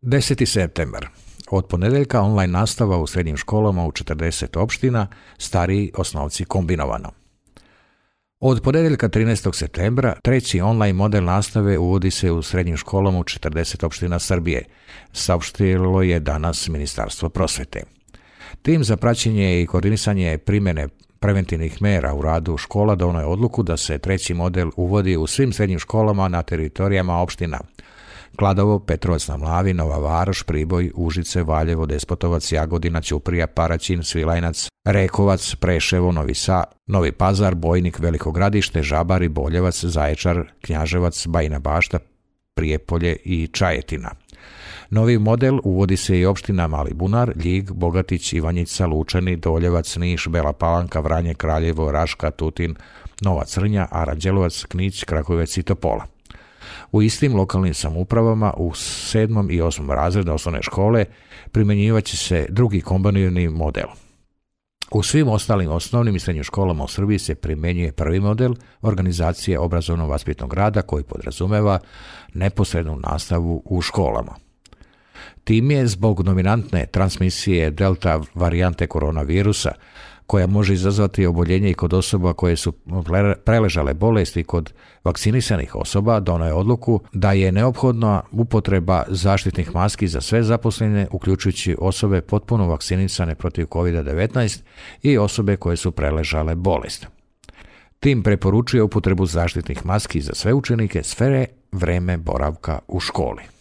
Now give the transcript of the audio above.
10. septembar. Od ponedjeljka online nastava u srednjim školama u 40 opština, stariji osnovci kombinovano. Od ponedjeljka 13. septembra treći online model nastave uvodi se u srednjim školama u 40 opština Srbije, saopštilo je danas Ministarstvo prosvete. Tim za praćenje i koordinisanje primjene preventivnih mera u radu škola donio je odluku da se treći model uvodi u svim srednjim školama na teritorijama opština Kladovo, Petrovac na Mlavi, Nova Varoš, Priboj, Užice, Valjevo, Despotovac, Jagodina, Ćuprija, Paraćin, Svilajnac, Rekovac, Preševo, Novi Pazar, Bojnik, Veliko Gradište, Žabari, Boljevac, Zaječar, Knjaževac, Bajina Bašta, Prijepolje i Čajetina. Novi model uvodi se i opština Mali Bunar, Ljig, Bogatić, Ivanjica, Lučani, Doljevac, Niš, Bela Palanka, Vranje, Kraljevo, Raška, Tutin, Nova Crnja, Aranđelovac, Knić, Kragujevac i Topola. U istim lokalnim samoupravama u 7. i 8. razredu osnovne škole primjenjivaće se drugi kombinirani model. U svim ostalim osnovnim i srednjim školama u Srbiji se primjenjuje prvi model organizacije obrazovno-vaspitnog rada koji podrazumeva neposrednu nastavu u školama. Tim je zbog dominantne transmisije delta varijante koronavirusa, koja može izazvati oboljenje i kod osoba koje su preležale bolesti i kod vakcinisanih osoba, donio je odluku da je neophodna upotreba zaštitnih maski za sve zaposlene, uključujući osobe potpuno vakcinisane protiv COVID-19 i osobe koje su preležale bolest. Tim preporučuje upotrebu zaštitnih maski za sve učenike sve vreme boravka u školi.